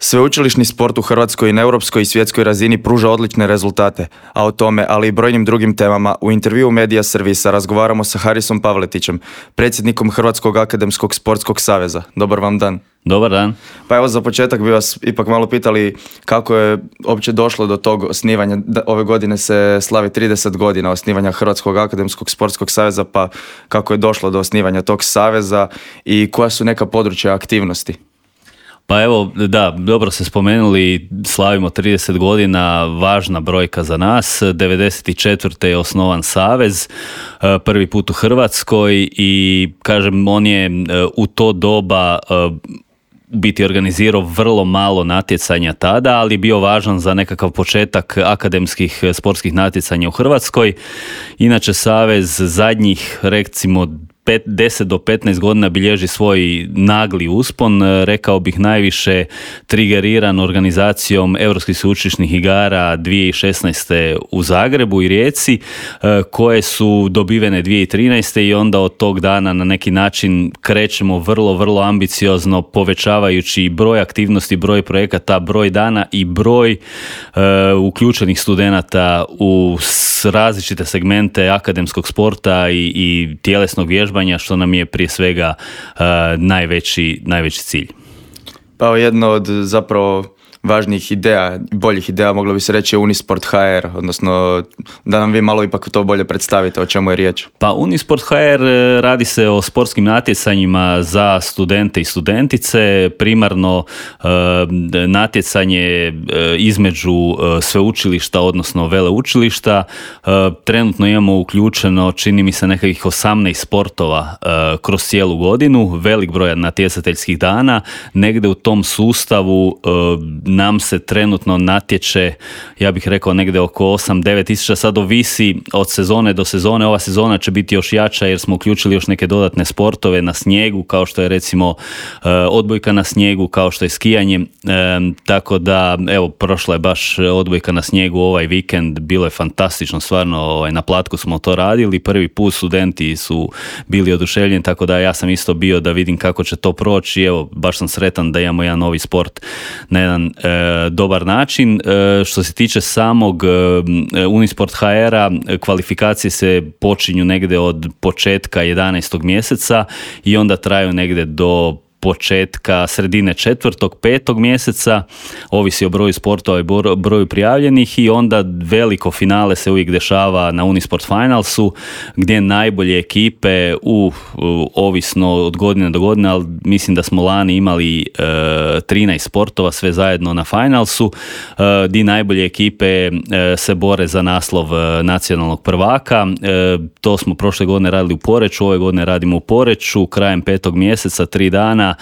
Sveučilišni sport u hrvatskoj i na europskoj i svjetskoj razini pruža odlične rezultate, a o tome, ali i brojnim drugim temama, u intervjuu Medija Servisa razgovaramo sa Harisom Pavletićem, predsjednikom Hrvatskog akademskog sportskog saveza. Dobar vam dan. Dobar dan. Pa evo, za početak bi vas ipak malo pitali kako je uopće došlo do tog osnivanja. Ove godine se slavi 30 godina osnivanja Hrvatskog akademskog sportskog saveza, pa kako je došlo do osnivanja tog saveza i koja su neka područja aktivnosti? Pa evo, da, dobro ste spomenuli, slavimo 30 godina, važna brojka za nas. 94. je osnovan savez, prvi put u Hrvatskoj i kažem, on je u to doba biti organizirao vrlo malo natjecanja tada, ali bio važan za nekakav početak akademskih sportskih natjecanja u Hrvatskoj. Inače, savez zadnjih, recimo, 10 do 15 godina bilježi svoj nagli uspon, rekao bih najviše trigeriran organizacijom Europskih sveučilišnih igara 2016. u Zagrebu i Rijeci, koje su dobivene 2013. i onda od tog dana na neki način krećemo vrlo ambiciozno, povećavajući broj aktivnosti, broj projekata, broj dana i broj uključenih studenata u različite segmente akademskog sporta i tjelesnog vježbanja, što nam je prije svega najveći cilj. Pa jedno od zapravo važnijih ideja, boljih ideja, moglo bi se reći, je Unisport HR, odnosno da nam vi malo ipak to bolje predstavite o čemu je riječ. Pa Unisport HR radi se o sportskim natjecanjima za studente i studentice, primarno natjecanje između sveučilišta, odnosno veleučilišta. Trenutno imamo uključeno, čini mi se, nekakvih 18 sportova kroz cijelu godinu, velik broj natjecateljskih dana. Negdje u tom sustavu nam se trenutno natječe, ja bih rekao, negdje oko 8-9 tisuća, sad ovisi od sezone do sezone. Ova sezona će biti još jača jer smo uključili još neke dodatne sportove na snijegu, kao što je recimo odbojka na snijegu, kao što je skijanje, tako da evo, prošla je baš odbojka na snijegu ovaj vikend, bilo je fantastično, stvarno na Platku smo to radili, prvi put studenti su bili oduševljeni, tako da ja sam isto bio da vidim kako će to proći. Evo, baš sam sretan da imamo jedan novi sport na jedan dobar način. Što se tiče samog Unisport HR-a, kvalifikacije se počinju negdje od početka 11. mjeseca i onda traju negdje do početka sredine 4., 5. mjeseca, ovisi o broju sportova i broju prijavljenih, i onda veliko finale se uvijek dešava na Unisport Finalsu, gdje najbolje ekipe ovisno od godine do godine, ali mislim da smo lani imali 13 sportova sve zajedno na Finalsu, gdje najbolje ekipe se bore za naslov nacionalnog prvaka. To smo prošle godine radili u Poreču, ove godine radimo u Poreču, krajem 5. mjeseca, 3 dana,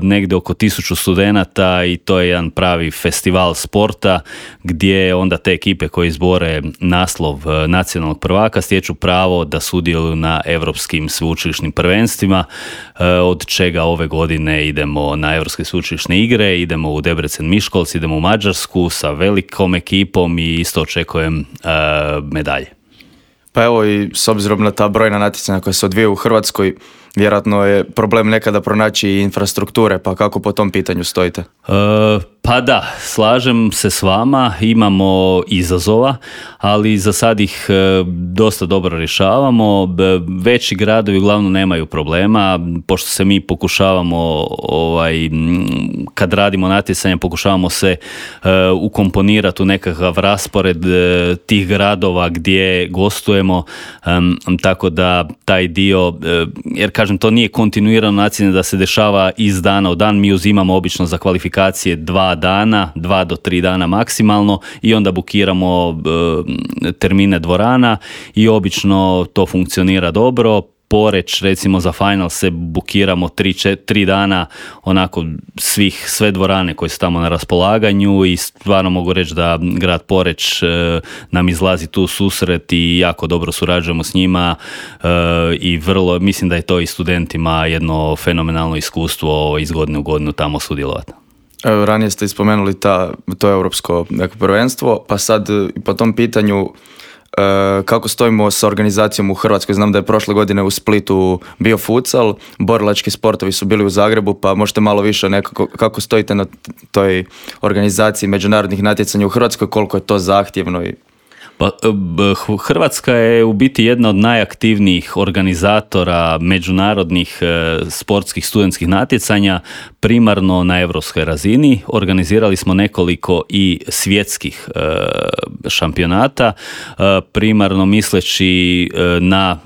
negdje oko 1000 studenata, i to je jedan pravi festival sporta gdje onda te ekipe koje izbore naslov nacionalnog prvaka stječu pravo da sudjeluju na europskim sveučilišnim prvenstvima, od čega ove godine idemo na europske sveučilišne igre, idemo u Debrecen Miškolc, idemo u Mađarsku sa velikom ekipom i isto očekujem medalje. Pa evo, i s obzirom na ta brojna natjecanja koja se odvijaju u Hrvatskoj, vjerojatno je problem nekada pronaći infrastrukture, pa kako po tom pitanju stojite? Pa da, slažem se s vama, imamo izazova, ali za sad ih dosta dobro rješavamo. Veći gradovi uglavnom nemaju problema, pošto se mi pokušavamo, kad radimo natjecanje, pokušavamo se ukomponirati u nekakav raspored tih gradova gdje gostujemo, tako da taj dio, jer kažem, to nije kontinuirano natjecanje da se dešava iz dana u dan, mi uzimamo obično za kvalifikacije 2 dana, 2 do 3 dana maksimalno, i onda bukiramo termine dvorana i obično to funkcionira dobro. Poreč, recimo, za final se bukiramo 3 dana, onako sve dvorane koje su tamo na raspolaganju, i stvarno mogu reći da grad Poreč nam izlazi tu susret i jako dobro surađujemo s njima, i vrlo, mislim da je to i studentima jedno fenomenalno iskustvo iz godine u godinu tamo sudjelovati. Ranije ste spomenuli to europsko prvenstvo, pa sad po tom pitanju kako stojimo sa organizacijom u Hrvatskoj. Znam da je prošle godine u Splitu bio futsal, borilački sportovi su bili u Zagrebu, pa možete malo više nekako, kako stojite na toj organizaciji međunarodnih natjecanja u Hrvatskoj, koliko je to zahtjevno i... Pa, Hrvatska je u biti jedna od najaktivnijih organizatora međunarodnih sportskih studentskih natjecanja, primarno na europskoj razini. Organizirali smo nekoliko i svjetskih šampionata, primarno misleći na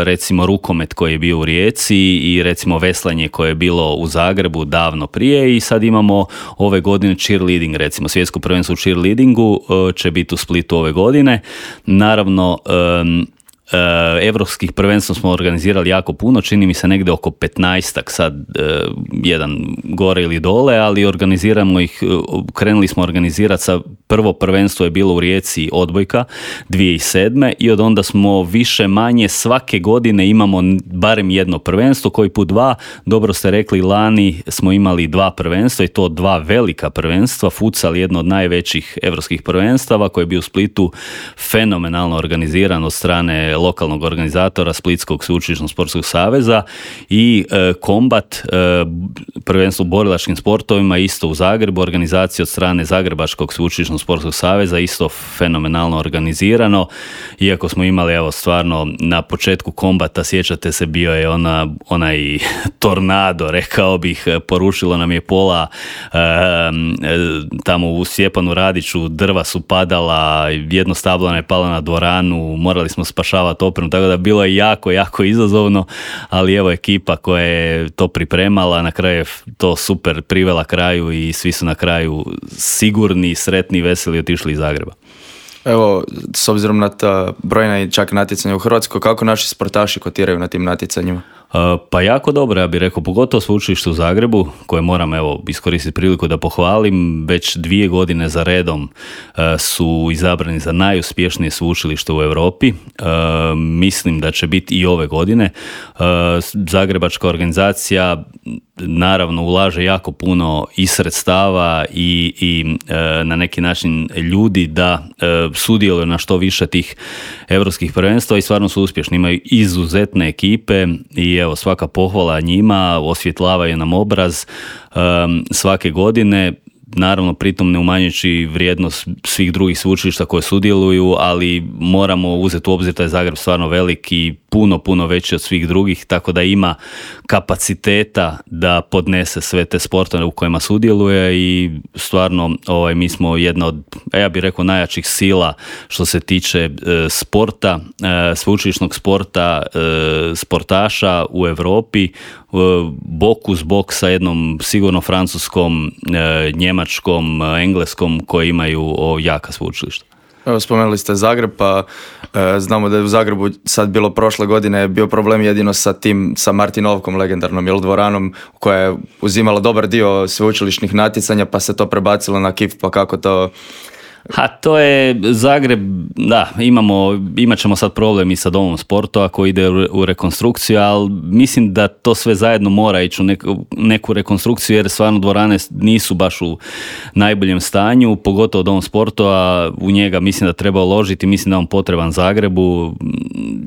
recimo rukomet koji je bio u Rijeci i recimo veslanje koje je bilo u Zagrebu davno prije, i sad imamo ove godine cheerleading, recimo svjetsko prvenstvo u cheerleadingu će biti u Splitu ove godine. Naravno, evropskih prvenstva smo organizirali jako puno, čini mi se negdje oko 15-ak, sad jedan gore ili dole, ali organiziramo ih, krenuli smo organizirati sa prvo prvenstvo je bilo u Rijeci odbojka 2007. i od onda smo više manje svake godine imamo barem jedno prvenstvo, koji put dva, dobro ste rekli, lani smo imali 2 prvenstva i to 2 velika prvenstva, futsal jedno od najvećih evropskih prvenstava koji je bio u Splitu fenomenalno organiziran od strane lokalnog organizatora Splitskog sveučilišnog sportskog saveza, i kombat, prvenstvo u borilačkim sportovima isto u Zagrebu, organizacija od strane Zagrebačkog sveučilišnog sportskog saveza, isto fenomenalno organizirano, iako smo imali evo stvarno na početku kombata, sjećate se, bio je onaj tornado, rekao bih, porušilo nam je pola, tamo u Stjepanu Radiću drva su padala, jedno stablo nam je palo na dvoranu, morali smo spašavati opremu, tako da bilo je jako, jako izazovno, ali evo ekipa koja je to pripremala, na kraju je to super privela kraju i svi su na kraju sigurni, sretni, veseli otišli iz Zagreba. Evo, s obzirom na ta brojna i čak natjecanja u Hrvatskoj, kako naši sportaši kotiraju na tim natjecanjima? Pa jako dobro, ja bih rekao, pogotovo sveučilište u Zagrebu, koje moram evo iskoristiti priliku da pohvalim, već 2 godine za redom su izabrani za najuspješnije sveučilište u Europi. Mislim da će biti i ove godine. Zagrebačka organizacija naravno ulaže jako puno i sredstava i na neki način ljudi da sudjeluju na što više tih europskih prvenstva i stvarno su uspješni. Imaju izuzetne ekipe i evo svaka pohvala njima, osvjetlavaju nam obraz svake godine. Naravno, pritom ne umanjujući vrijednost svih drugih sveučilišta koje sudjeluju, ali moramo uzeti u obzir da je Zagreb stvarno velik i puno veći od svih drugih, tako da ima kapaciteta da podnese sve te sportove u kojima sudjeluje i stvarno mi smo jedna od, ja bih rekao, najjačih sila što se tiče sporta, sveučilišnog sporta, sportaša u Europi, bok uz bok sa jednom sigurno francuskom, njemačkom, engleskom, koji imaju jaka sveučilišta. Evo, spomenuli ste Zagreb, pa znamo da je u Zagrebu sad bilo prošle godine bio problem jedino sa Martinovkom, legendarnom dvoranom, koja je uzimala dobar dio sveučilišnih natjecanja, pa se to prebacilo na KIF, pa kako to... To je Zagreb, da, imat ćemo sad problem i sa domom sporta ako ide u rekonstrukciju, ali mislim da to sve zajedno mora ići u neku rekonstrukciju, jer stvarno dvorane nisu baš u najboljem stanju, pogotovo dom sporta, a u njega mislim da treba uložiti, mislim da on potreban Zagrebu,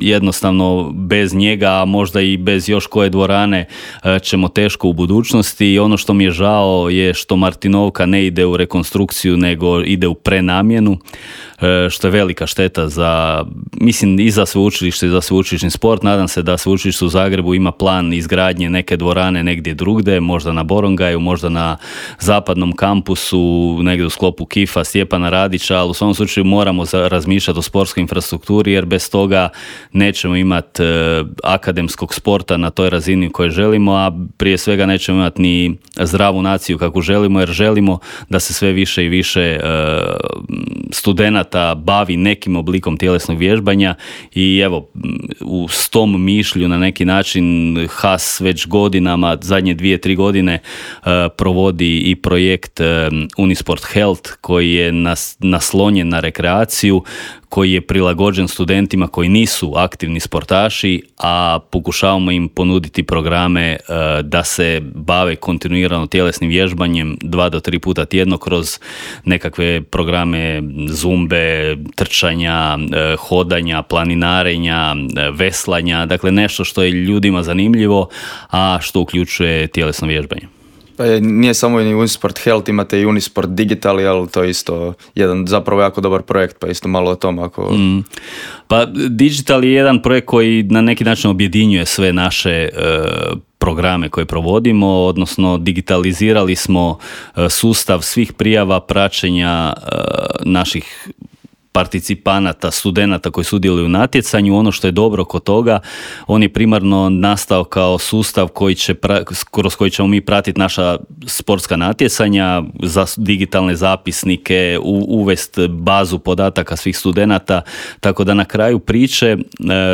jednostavno bez njega, a možda i bez još koje dvorane ćemo teško u budućnosti. I ono što mi je žao je što Martinovka ne ide u rekonstrukciju, nego ide u prenamjenu, što je velika šteta za, mislim, i za sveučilište i za sveučilišni sport. Nadam se da sveučilište u Zagrebu ima plan izgradnje neke dvorane negdje drugdje, možda na Borongaju, možda na zapadnom kampusu, negdje u sklopu KIF-a, Stjepana Radića, ali u svom slučaju moramo razmišljati o sportskoj infrastrukturi, jer bez toga nećemo imati akademskog sporta na toj razini u kojoj želimo, a prije svega nećemo imati ni zdravu naciju kakvu želimo, jer želimo da se sve više i više studenata bavi nekim oblikom tjelesnog vježbanja i evo, s tom mišlju na neki način HAS već godinama, zadnje 2-3 godine provodi i projekt Unisport Health, koji je naslonjen na rekreaciju, koji je prilagođen studentima koji nisu aktivni sportaši, a pokušavamo im ponuditi programe da se bave kontinuirano tjelesnim vježbanjem 2 do 3 puta tjedno kroz nekakve programe programe zumbe, trčanja, hodanja, planinarenja, veslanja, dakle nešto što je ljudima zanimljivo, a što uključuje tjelesno vježbanje. Pa nije samo i Unisport Health, imate i Unisport Digital, ali to je isto jedan zapravo jako dobar projekt, pa isto malo o tom ako... Pa Digital je jedan projekt koji na neki način objedinjuje sve naše programe koje provodimo, odnosno digitalizirali smo sustav svih prijava praćenja naših participanata, studenata koji sudjeluju u natjecanju. Ono što je dobro kod toga, on je primarno nastao kao sustav kroz koji ćemo mi pratiti naša sportska natjecanja, za digitalne zapisnike, uvest bazu podataka svih studenata, tako da na kraju priče,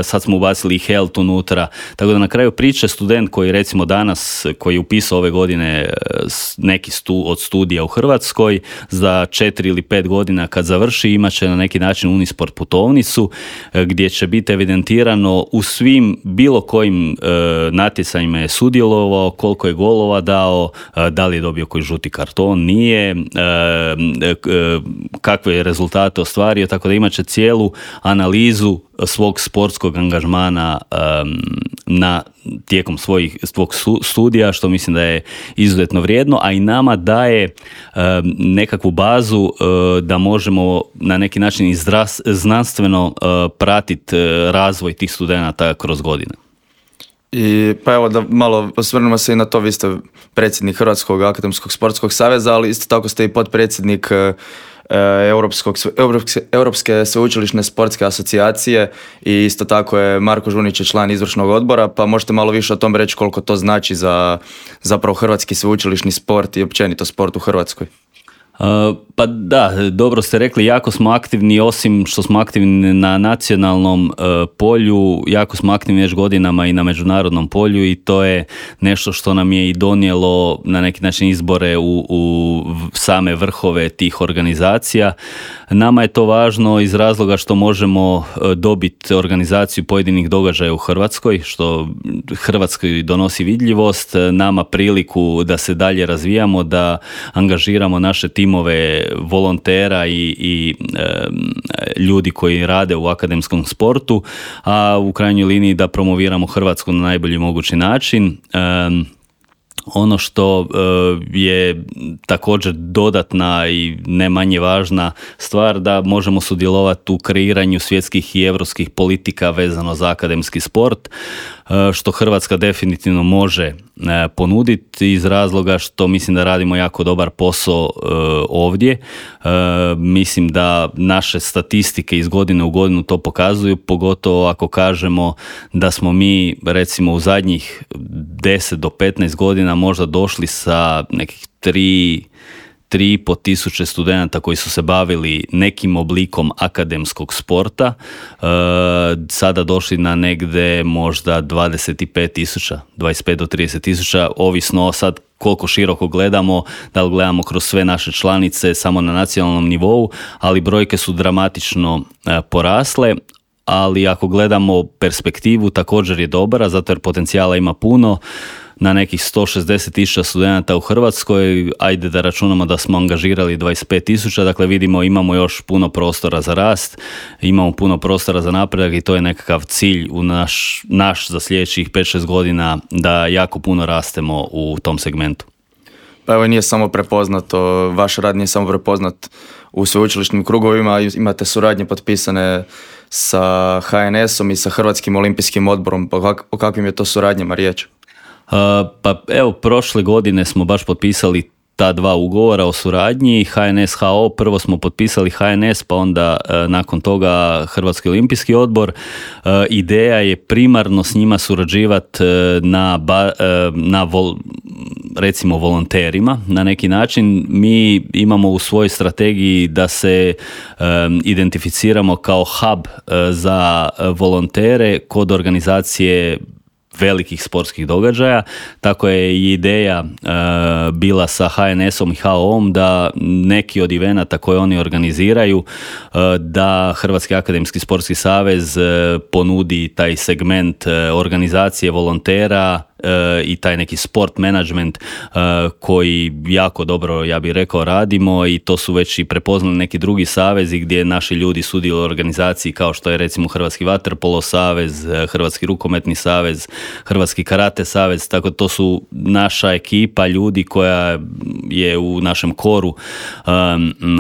sad smo ubacili i health unutra, tako da na kraju priče student koji recimo danas, koji je upisao ove godine neki od studija u Hrvatskoj, za 4 ili 5 godina kad završi, imat će na neki način Unisport putovnicu gdje će biti evidentirano u svim bilo kojim natjecanjima je sudjelovao, koliko je golova dao, da li je dobio koji žuti karton, nije, kakve je rezultate ostvario, tako da imat će cijelu analizu svog sportskog angažmana tijekom svog studija, što mislim da je izuzetno vrijedno, a i nama daje nekakvu bazu da možemo na neki način znanstveno pratiti razvoj tih studenata kroz godine. I pa evo da malo osvrnemo se i na to, vi ste predsjednik Hrvatskog akademskog sportskog saveza, ali isto tako ste i potpredsjednik Europske sveučilišne sportske asocijacije i isto tako je Marko Žunić je član izvršnog odbora, pa možete malo više o tom reći koliko to znači za zapravo hrvatski sveučilišni sport i općenito sport u Hrvatskoj. Pa da, dobro ste rekli, jako smo aktivni, osim što smo aktivni na nacionalnom polju, jako smo aktivni već godinama i na međunarodnom polju i to je nešto što nam je i donijelo na neki način izbore u same vrhove tih organizacija. Nama je to važno iz razloga što možemo dobiti organizaciju pojedinih događaja u Hrvatskoj, što Hrvatskoj donosi vidljivost, nama priliku da se dalje razvijamo, da angažiramo naše timove volontera i ljudi koji rade u akademskom sportu, a u krajnjoj liniji da promoviramo Hrvatsku na najbolji mogući način. Ono što je također dodatna i ne manje važna stvar, da možemo sudjelovati u kreiranju svjetskih i europskih politika vezano za akademski sport, što Hrvatska definitivno može ponuditi iz razloga što mislim da radimo jako dobar posao ovdje. Mislim da naše statistike iz godine u godinu to pokazuju, pogotovo ako kažemo da smo mi recimo u zadnjih 10 do 15 godina možda došli sa nekih 3,5 tisuće studenata koji su se bavili nekim oblikom akademskog sporta, sada došli na negde možda 25 tisuća, 25 do 30 tisuća, ovisno sad koliko široko gledamo, da li gledamo kroz sve naše članice samo na nacionalnom nivou, ali brojke su dramatično porasle. Ali ako gledamo perspektivu također je dobra, zato jer potencijala ima puno. Na nekih 160.000 studenata u Hrvatskoj, ajde da računamo da smo angažirali 25.000, dakle vidimo imamo još puno prostora za rast, imamo puno prostora za napredak i to je nekakav cilj u naš za sljedećih 5-6 godina da jako puno rastemo u tom segmentu. Pa evo nije samo prepoznato, vaš rad nije samo prepoznat u sveučilišnim krugovima, imate suradnje potpisane sa HNS-om i sa Hrvatskim olimpijskim odborom, pa o kakvim je to suradnjama riječ? Pa evo, prošle godine smo baš potpisali ta dva ugovora o suradnji, HNS-HO, prvo smo potpisali HNS, pa onda nakon toga Hrvatski olimpijski odbor. Ideja je primarno s njima surađivati recimo volonterima na neki način. Mi imamo u svojoj strategiji da se identificiramo kao hub za volontere kod organizacije velikih sportskih događaja, tako je i ideja bila sa HNS-om i HO-om da neki od evenata koje oni organiziraju, da Hrvatski akademski sportski savez ponudi taj segment organizacije volontera i taj neki sport management koji jako dobro, ja bih rekao, radimo, i to su već i prepoznali neki drugi savezi gdje naši ljudi sudjeluju u organizaciji, kao što je recimo Hrvatski vaterpolo savez, Hrvatski rukometni savez, Hrvatski karate savez, tako to su naša ekipa ljudi koja je u našem koru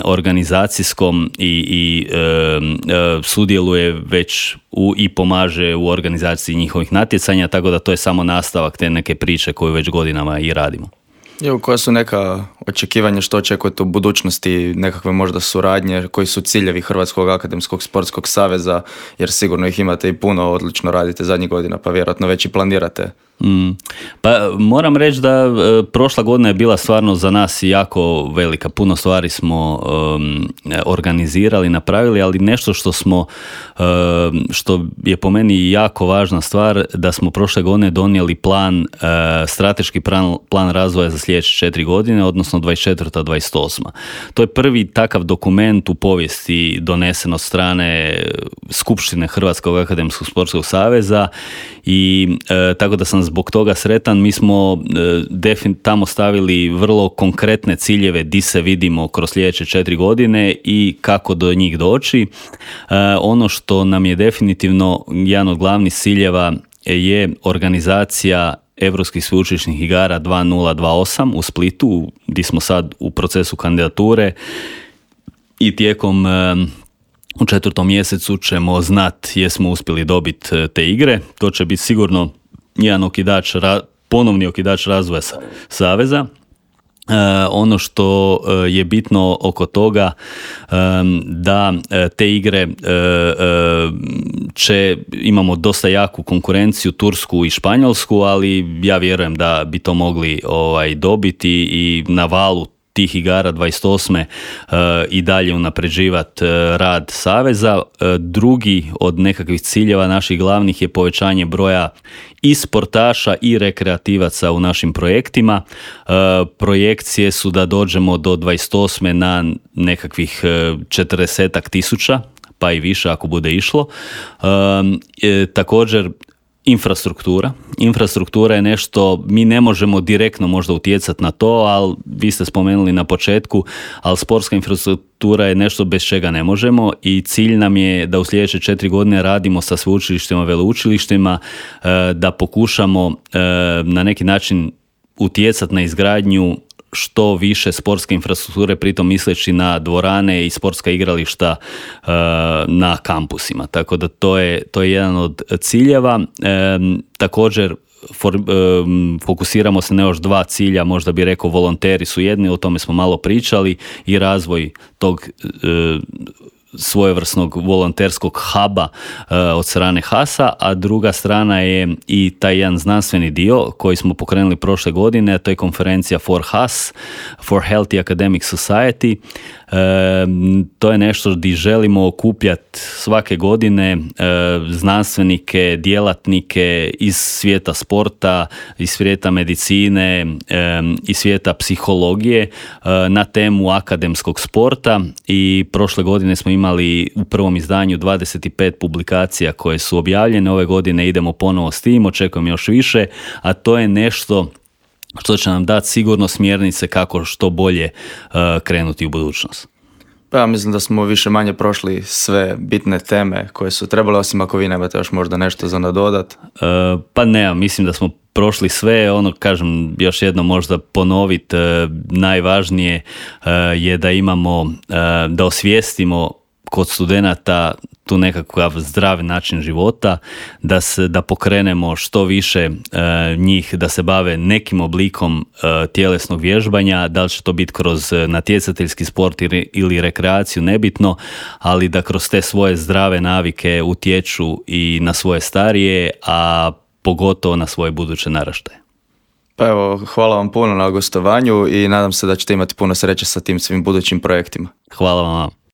organizacijskom i sudjeluje već i pomaže u organizaciji njihovih natjecanja, tako da to je samo nastavak te neke priče koju već godinama i radimo. Koja su neka očekivanja, što očekujete u budućnosti, nekakve možda suradnje, koji su ciljevi Hrvatskog akademskog sportskog saveza, jer sigurno ih imate i puno, odlično radite zadnjih godina, pa vjerojatno već i planirate. Pa moram reći da prošla godina je bila stvarno za nas jako velika. Puno stvari smo organizirali, napravili, ali nešto što je po meni jako važna stvar, da smo prošle godine donijeli strateški plan razvoja za sljedeće 4 godine, odnosno 24-28. To je prvi takav dokument u povijesti donesen od strane Skupštine Hrvatskog akademskog sportskog saveza, i tako da sam zbog toga sretan. Mi smo tamo stavili vrlo konkretne ciljeve di se vidimo kroz sljedeće 4 godine i kako do njih doći. Ono što nam je definitivno jedan od glavnih ciljeva je organizacija Europskih sveučilišnih igara 2028 u Splitu, gdje smo sad u procesu kandidature, i tijekom u 4. mjesecu ćemo znati jesmo uspjeli dobiti te igre. To će biti sigurno jedan ponovni okidač razvoja saveza. Ono što je bitno oko toga, da te igre imamo dosta jaku konkurenciju, Tursku i Španjolsku, ali ja vjerujem da bi to mogli dobiti i na valu tih igara 28. I dalje unapređivati rad saveza. Drugi od nekakvih ciljeva naših glavnih je povećanje broja i sportaša i rekreativaca u našim projektima. Projekcije su da dođemo do 28. na nekakvih 40-ak tisuća, pa i više ako bude išlo. Također, Infrastruktura je nešto, mi ne možemo direktno možda utjecati na to, ali vi ste spomenuli na početku, ali sportska infrastruktura je nešto bez čega ne možemo, i cilj nam je da u sljedeće 4 godine radimo sa sveučilištima, veleučilištima, da pokušamo na neki način utjecati na izgradnju što više sportske infrastrukture, pritom misleći na dvorane i sportska igrališta na kampusima. Tako da to je jedan od ciljeva. Također fokusiramo se na još 2 cilja, možda bi rekao volonteri su jedni, o tome smo malo pričali, i razvoj tog svojevrsnog volonterskog huba od strane HAS-a, a druga strana je i taj jedan znanstveni dio koji smo pokrenuli prošle godine, a to je konferencija For HAS, For Healthy Academic Society. To je nešto gdje želimo okupljati svake godine znanstvenike, djelatnike iz svijeta sporta, iz svijeta medicine, iz svijeta psihologije na temu akademskog sporta, i prošle godine smo imali u prvom izdanju 25 publikacija koje su objavljene. Ove godine idemo ponovo s tim, očekujem još više, a to je nešto što će nam dati sigurno smjernice kako što bolje krenuti u budućnost. Pa ja mislim da smo više manje prošli sve bitne teme koje su trebale, osim ako vi nemate još možda nešto za nadodat. Pa ne, mislim da smo prošli sve. Kažem još jedno možda ponoviti, najvažnije je da imamo, da osvijestimo kod studenata tu nekakav zdrav način života, da pokrenemo što više njih da se bave nekim oblikom tjelesnog vježbanja, da li će to biti kroz natjecateljski sport ili rekreaciju, nebitno, ali da kroz te svoje zdrave navike utječu i na svoje starije, a pogotovo na svoje buduće naraštaje. Pa evo, hvala vam puno na gostovanju i nadam se da ćete imati puno sreće sa tim svim budućim projektima. Hvala vam.